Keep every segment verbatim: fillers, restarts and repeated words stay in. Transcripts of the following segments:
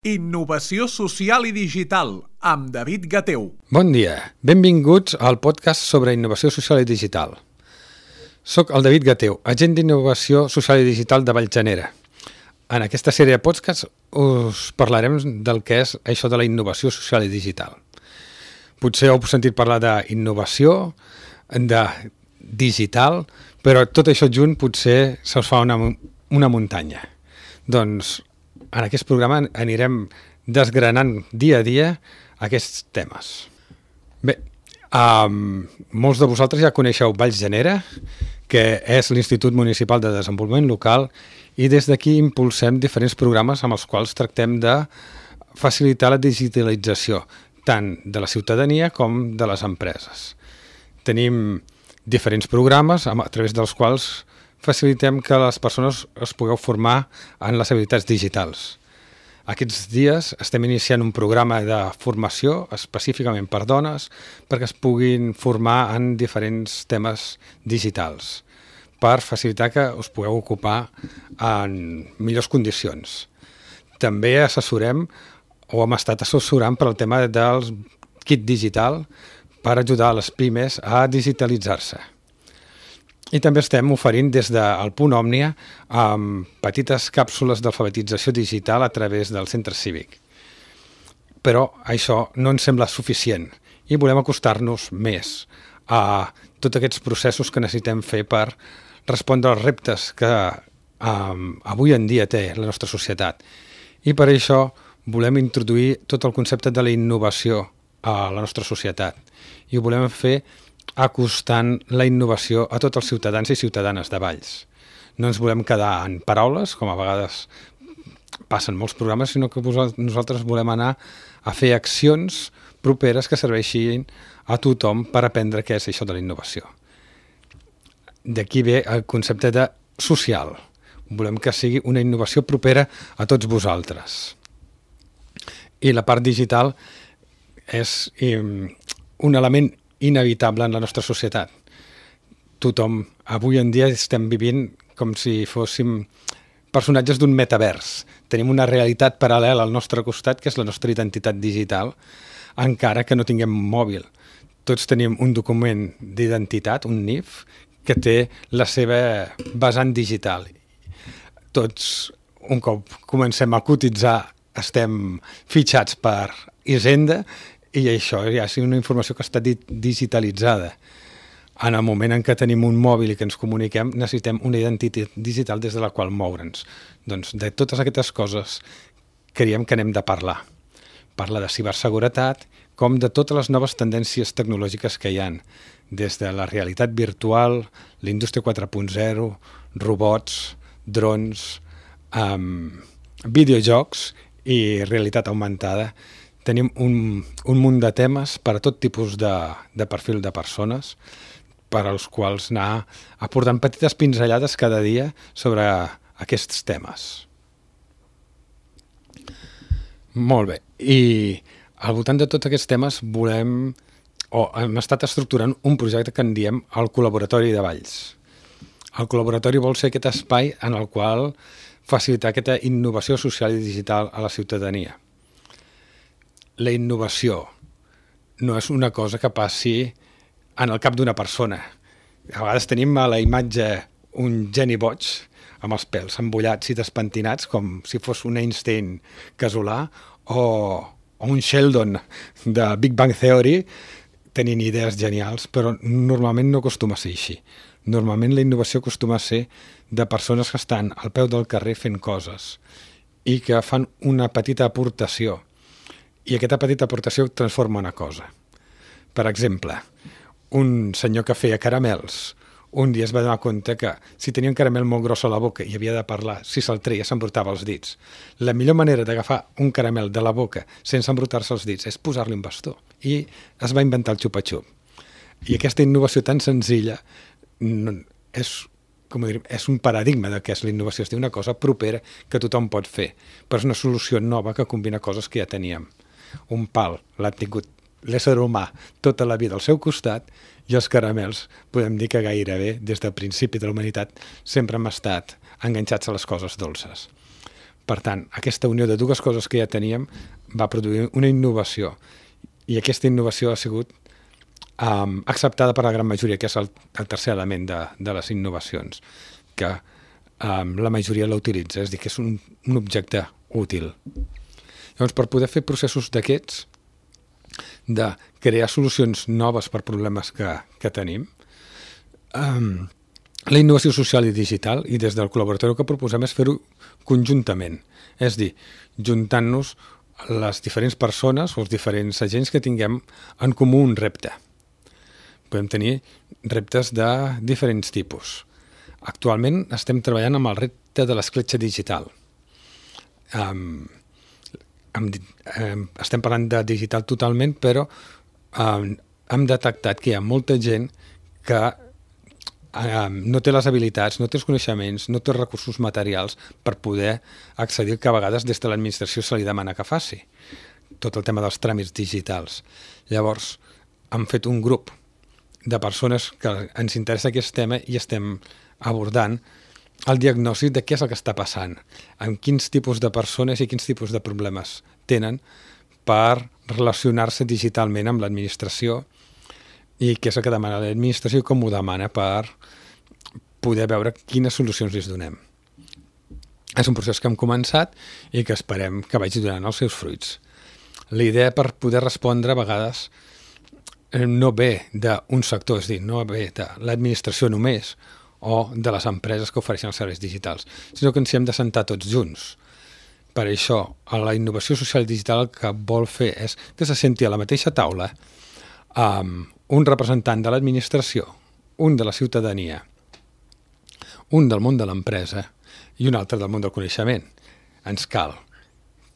Innovació social i digital, amb David Gateu. Bon dia, benvinguts al podcast sobre innovació social i digital. Soc el David Gateu, agent d'innovació social i digital de Vallgenera. En aquesta sèrie de podcasts us parlarem del que és això de la innovació social i digital. Potser heu sentit parlar d'innovació, de digital, però tot això junt potser se us fa una, una muntanya. Doncs en aquest programa anirem desgranant dia a dia aquests temes. Bé, um, molts de vosaltres ja coneixeu Vallgenera, que és l'Institut Municipal de Desenvolupament Local, i des d'aquí impulsem diferents programes amb els quals tractem de facilitar la digitalització, tant de la ciutadania com de les empreses. Tenim diferents programes a través dels quals facilitem que les persones es pugueu formar en les habilitats digitals. Aquests dies estem iniciant un programa de formació específicament per dones perquè es puguin formar en diferents temes digitals per facilitar que us pugueu ocupar en millors condicions. També assessorem o hem estat assessorant per al tema del kit digital per ajudar les pimes a digitalitzar-se. I també estem oferint des del Punt Òmnia amb petites càpsules d'alfabetització digital a través del centre cívic. Però això no ens sembla suficient i volem acostar-nos més a tots aquests processos que necessitem fer per respondre als reptes que um, avui en dia té la nostra societat. I per això volem introduir tot el concepte de la innovació a la nostra societat i ho volem fer acostant la innovació a tots els ciutadans i ciutadanes de Valls. No ens volem quedar en paraules, com a vegades passen molts programes, sinó que nosaltres volem anar a fer accions properes que serveixin a tothom per aprendre què és això de la innovació. D'aquí ve el concepte de social. Volem que sigui una innovació propera a tots vosaltres. I la part digital és un element inevitable en la nostra societat. Tothom, avui en dia estem vivint com si fóssim personatges d'un metavers. Tenim una realitat paral·lela al nostre costat, que és la nostra identitat digital, encara que no tinguem mòbil. Tots tenim un document d'identitat, un N I F, que té la seva vessant digital. Tots, un cop comencem a cotitzar, estem fitxats per Hisenda, i això ja és una informació que està digitalitzada. En el moment en què tenim un mòbil i que ens comuniquem, necessitem una identitat digital des de la qual moure'ns. Doncs de totes aquestes coses creiem que n'hem de parlar. Parlar de ciberseguretat, com de totes les noves tendències tecnològiques que hi ha, des de la realitat virtual, la indústria quatre punt zero, robots, drons, um, videojocs i realitat augmentada. Tenim un, un munt de temes per a tot tipus de, de perfil de persones per als quals anar aportant petites pinzellades cada dia sobre aquests temes. Molt bé. I al voltant de tots aquests temes volem, o hem estat estructurant un projecte que en diem el Col·laboratori de Valls. El col·laboratori vol ser aquest espai en el qual facilitar aquesta innovació social i digital a la ciutadania. La innovació no és una cosa que passi en el cap d'una persona. A vegades tenim a la imatge un geni boig amb els pèls embullats i despentinats com si fos un Einstein casolà o, o un Sheldon de Big Bang Theory tenint idees genials, però normalment no acostuma a ser així. Normalment la innovació acostuma a ser de persones que estan al peu del carrer fent coses i que fan una petita aportació. I aquesta petita aportació transforma una cosa. Per exemple, un senyor que feia caramels, un dia es va donar compte que si tenia un caramel molt gros a la boca i havia de parlar, si se'l treia s'embrutava els dits. La millor manera d'agafar un caramel de la boca sense embrutar-se els dits és posar-li un bastó. I es va inventar el xupa-xup. I aquesta innovació tan senzilla és, com dir, és un paradigma de què és la innovació. És una cosa propera que tothom pot fer, però és una solució nova que combina coses que ja teníem. Un pal l'ha tingut l'ésser humà tota la vida al seu costat i els caramels podem dir que gairebé des del principi de la humanitat sempre hem estat enganxats a les coses dolces. Per tant, aquesta unió de dues coses que ja teníem va produir una innovació, i aquesta innovació ha sigut um, acceptada per la gran majoria, que és el, el tercer element de, de les innovacions, que um, la majoria la utilitza, és a dir, que és un, un objecte útil. Llavors, per poder fer processos d'aquests, de crear solucions noves per problemes que, que tenim, um, la innovació social i digital, i des del col·laboratori que proposem és fer-ho conjuntament, és dir, juntant-nos les diferents persones o els diferents agents que tinguem en comú un repte. Podem tenir reptes de diferents tipus. Actualment estem treballant amb el repte de l'escletxa digital. Um, hem, um, estem parlant de digital totalment, però um, hem detectat que hi ha molta gent que um, no té les habilitats, no té els coneixements, no té els recursos materials per poder accedir, que a vegades des de l'administració se li demana que faci tot el tema dels tràmits digitals. Llavors, hem fet un grup de persones que ens interessa aquest tema i estem abordant el diagnòstic de què és el que està passant, amb quins tipus de persones i quins tipus de problemes tenen per relacionar-se digitalment amb l'administració i què és el que demana l'administració i com ho demana per poder veure quines solucions li donem. És un procés que hem començat i que esperem que vagi donant els seus fruits. La idea per poder respondre a vegades no ve d'un sector, és a dir, no ve de l'administració només o de les empreses que ofereixen els serveis digitals, sinó que ens hi hem de sentar tots junts. Per això, la innovació social i digital el que vol fer és que se senti a la mateixa taula amb un representant de l'administració, un de la ciutadania, un del món de l'empresa i un altre del món del coneixement. Ens cal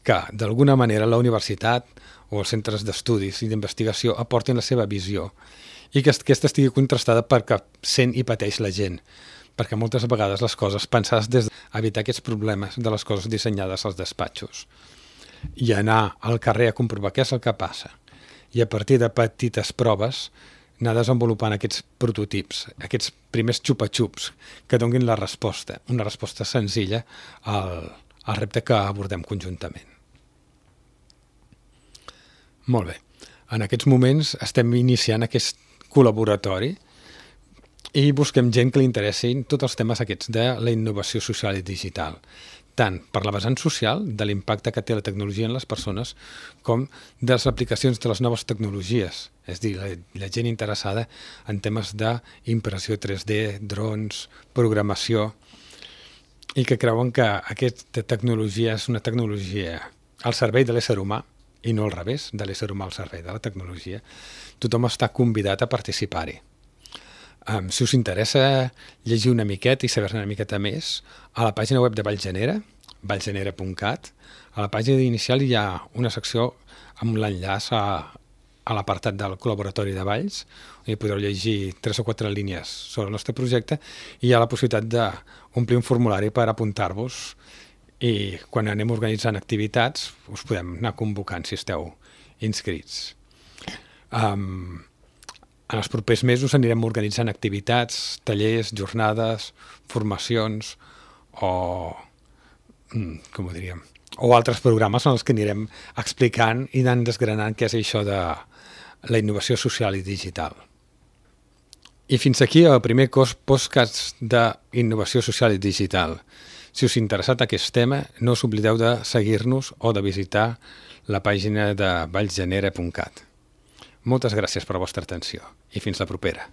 que, d'alguna manera, la universitat o els centres d'estudis i d'investigació aportin la seva visió i que aquesta estigui contrastada perquè sent i pateix la gent, perquè moltes vegades les coses pensades des d'evitar aquests problemes de les coses dissenyades als despatxos i anar al carrer a comprovar què és el que passa i a partir de petites proves anar desenvolupant aquests prototips, aquests primers xupa-xups que donin la resposta, una resposta senzilla al, al repte que abordem conjuntament. Molt bé. En aquests moments estem iniciant aquest col·laboratori i busquem gent que li interessin tots els temes aquests de la innovació social i digital, tant per la vessant social, de l'impacte que té la tecnologia en les persones, com de les aplicacions de les noves tecnologies, és a dir, la, la gent interessada en temes d'impressió tres D, drons, programació, i que creuen que aquesta tecnologia és una tecnologia al servei de l'ésser humà, i no al revés, de l'ésser humà al servei de la tecnologia. Tothom està convidat a participar-hi. Um, si us interessa llegir una miqueta i saber-ne una miqueta més, a la pàgina web de Vallgenera, vallgenera punt cat, a la pàgina inicial hi ha una secció amb l'enllaç a, a l'apartat del col·laboratori de Valls, on hi podreu llegir tres o quatre línies sobre el nostre projecte i hi ha la possibilitat d'omplir un formulari per apuntar-vos i quan anem organitzant activitats us podem anar convocant si esteu inscrits. Um, en els propers mesos anirem organitzant activitats, tallers, jornades, formacions o, com ho diríem, o altres programes en els que anirem explicant i anant desgranant què és això de la innovació social i digital. I fins aquí el primer podcast d'innovació social i digital. Si us ha interessat aquest tema, no us oblideu de seguir-nos o de visitar la pàgina de vallgenera punt cat. Moltes gràcies per la vostra atenció i fins la propera.